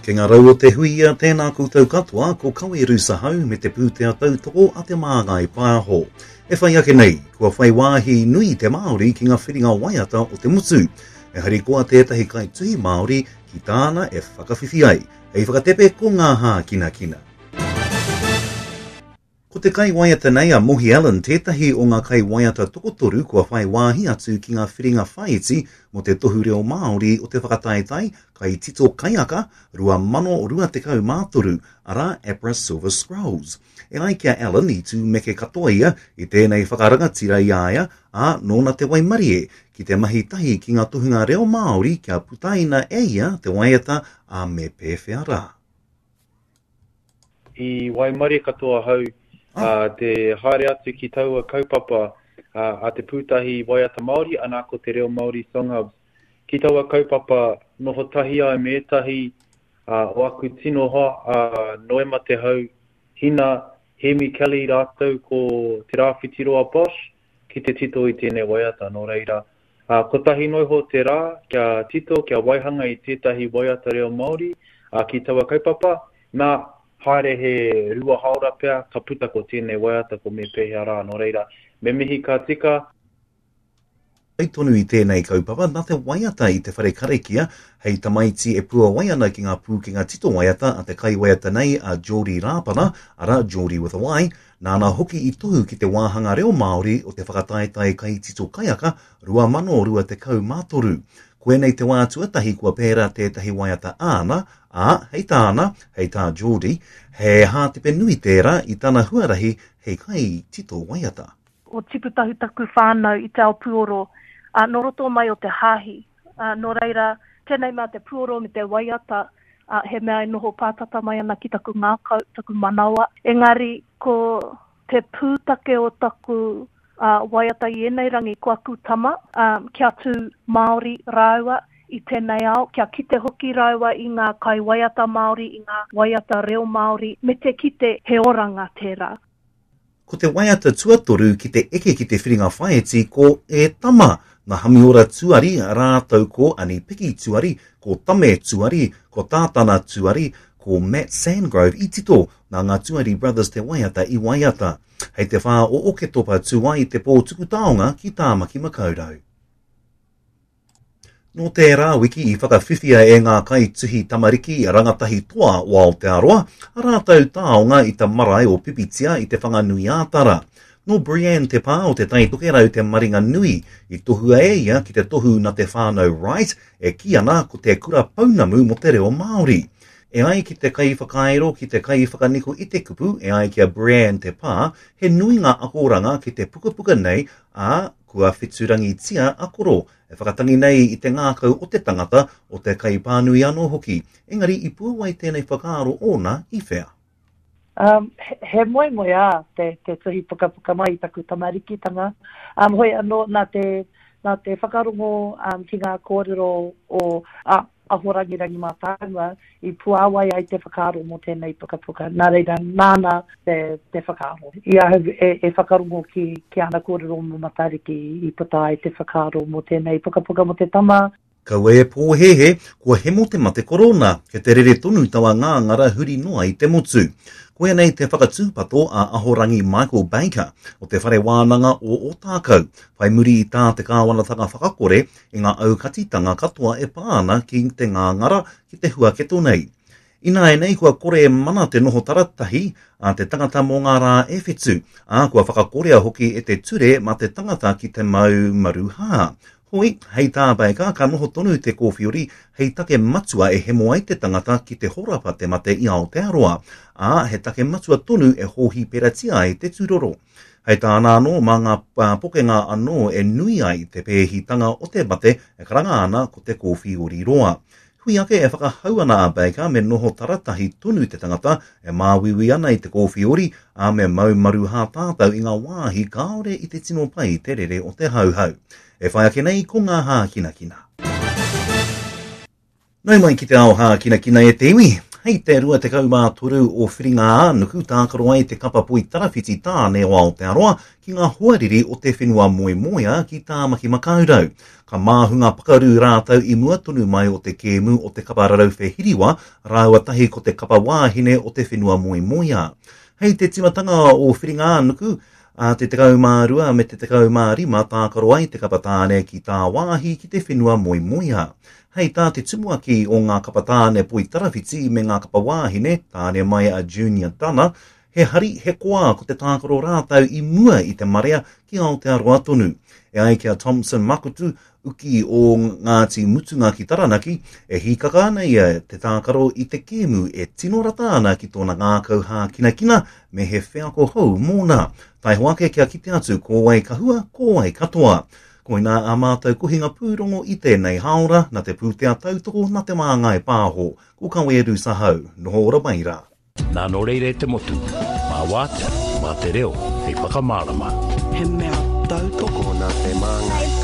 Kei ngā rau o te huia, tēnā koutou katoa, ko Kawe Rusahau me te pūtea tautoko a Te Māngai Pāho. E whai ake nei, kua whai wāhi nui te Māori ki ngā whiringa waiata o te motu. E harikoa tētahi kaituhi Māori ki tāna e whakawhiwhi ai, hei whakatepe ko ngā hākinakina. Ko te kaiwaiata nei a Mohi Allen tētahi o ngā kaiwaiata tokotoru kua whai wāhi atu ki ngā whiringa whāiti mō te Tohu Reo Māori o te whakataetae Kaitito Kaiaka 2023, arā APRA Silver Scrolls. E ai ki a Allen i tūmeke katoa ia i tēnei whakarangatira i a ia, ā, nōna te waimarie ki te mahi tahi ki ngā tohunga reo Māori kia putaina e ia te waiata a Me Pēwhea Rā. I waimarie katoa ahau te haere atu ki taua kaupapa a Te Pūtahi Waiata Māori, anā ko Te Reo Māori Song Hubs. Ki taua kaupapa noho tahi ai me ētahi o aku tino hoa, a Noema Te Hau, Hina, Hemi Kelly rātou ko Te Rāwhitiroa Bosch ki te tito i tēnei waiata. Nō reira, Ā, kotahi noa iho te rā kia tito, kia waihanga i tētahi waiata reo Māori, ā, ki taua kaupapa, nā, haere he rua haora pea, ka puta ko tēnei waiata, ko Me Pēhea Rā, nō reira, me mihi ka tika. Whai tonu i tēnei kaupapa, nā te waiata i te whare karakia, hei tamaiti e puawai ana ki ngā pūkenga tito waiata a te kaiwaiata nei a Geordie Rāpana, arā, Geordie with a Y, Nāna hoki i tohu ki te wāhanga reo Māori o te whakataetae kaitito kaiaka 2023. Koinei te wā tuatahi kua pērā tētahi waiata āna, ā, hei tāna, hei tā Geordie, he hātepe nui tērā i tana huarahi hei kaitito waiata. O tipu tahu taku whānau i te ao puoro, ā, nō roto mai o te hāhi. Ā, nō reira, tēnei mea te puoro me te waiata, ā, he mea e noho pātata mai ana ki taku ngākau, taku manawa. Engari, ko te pūtake o taku, ā, waiata i ēnei rangi, ko aku tama, ā, kia tū Māori rāua i tēnei ao, kia kite hoki rāua i ngā kaiwaiata Māori, i ngā waiata reo Māori, me te kite he oranga tērā. Ko te waiata tuatoru ki te eke ki te whiringa whāiti ko E Tama, nā Hamiora Tuari rātou ko Ani Piki Tuari, ko Tame Tuari, ko Tātana Tuari, ko Matt Sandgrove i tito, nā ngā Tuari Brothers te waiata i waiata. Hei te whā o Oketopa tū ai te pō tuku taonga ki Tāmaki Makaurau. Nō tērā wiki i whakawhiwhia e ngā kaituhi tamariki rangatahi toa o Aotearoa a rātou taonga i te marae o Pipitea i Te Whanganui-ā-Tara. Nō Brianne Te Pā o Te Tai Tokerau te maringa nui i tohua e ia ki te tohu na te whānau Wright e kī ana ko te kura pounamu mō te reo Māori. E ai ki te kaiwhakairo ki te kaiwhakaniko i te kupu, e ai ki a Brianne Te Pā, he nui ngā akoranga ki te pukapuka nei, ā, Kua wheturangitia a Koro, e whakatangi nei i te ngākau o te tangata, o te kaipānui anō hoki. Engari i puawai tēnei whakaaro ōna i whea? Um, he, he moemoeā te, te tuhi pukapuka mai i taku tamarikitanga. Um, hoi anō, nā te, nā te whakarongo um, ki ngā kōrero o a, Ahorangi Rangi Mātāmua i puāwai ai te whakaaro mō tēnei pukapuka. Nā reira, nāna te, te whakaaro. I ahau e, e whakarongo ki, ki ana kōrero mō Matariki i puta ai te whakaaro mō tēnei pukapuka mō te tama. Kaua e pōhēhē, kua hemo te mate korona, kei te rere tonu taua ngāngara huri noa i te motu. Koia nei te whakatūpato a Ahorangi Michael Baker o Te Whare Wānanga o Ōtākou, whai muri i tā te kāwanatanga whakakore i ngā aukatitanga katoa e pā ana ki te ngāngara, ki te huaketo nei. Ināianei kua kore e mana te noho taratahi a te tangata mō ngā rā e whitu, ā, kua whakakorea hoki e te ture mā te tangata ki te mau maruhā. Hoi, hei tā Baker, ka noho tonu te kōwhiori hei take matua e hemo ai te tangata ki te horapa te mate i Aotearoa, ā, he take matua tonu e hōhiperatia ai te tūroro. Hei tāna anō, mā ngā pokenga anō e nui ai te pēhitanga o te mate e karanga ana ko te kōwhiori roa. Hui ake e whakahau ana a Baker me noho taratahi tonu te tangata e māuiui ana i te kōwhiori, ā, me mau maruhā tātou i ngā wāhi kāore i te tino pai te rere o te hauhau. E whai ake nei ko ngā hākinakina. Nau mai ki te ao hākinakina e te iwi. Hei te 23 o Whiringa-ā-nuku tākaro ai te kapa poitarawhiti tāne o Aotearoa ki ngā hoariri o te whenua moemoeā ki Tāmaki Makaurau. Ka māhunga pakaru rātou i mua tonu mai o te kēmu o te kapa rarauwhe hiriwa rāua tahi ko te kapa wāhine o te whenua moemoeā. Hei te timatanga o Whiringa-ā-nuku, ā te 12 me te 15 tākaro ai te kapa tāne ki tāwāhi ki te whenua moemoeā. Hei tā te tumuaki o ngā kapa tāne poitarawhiti me ngā kapa wāhine, tāne mai a Junior Dana, he hari, he koa ko te tākaro rātou i mua i te marea ki Aotearoa tonu. E ai ki a Thompson Makutu, uki o Ngāti Mutunga ki Taranaki, e hīkaka ana ia te tākaro i te kēmu e tino rata ana ki tōna ngākau hākinakina me he wheako hou mōna. Taiho ake kia kite atu ko wai ka hua, ko wai ka toa. Koinā ā mātou kohinga pūrongo i tēnei hāora, na te pūtea tautoko na Te Māngai Pāho. Ko Kawe Rusa Hau. Noho ora mai rā. Nā nō reira e te motu, mā wātea, mā te reo hei whakamārama. He mea tautoko nā Te Māngai.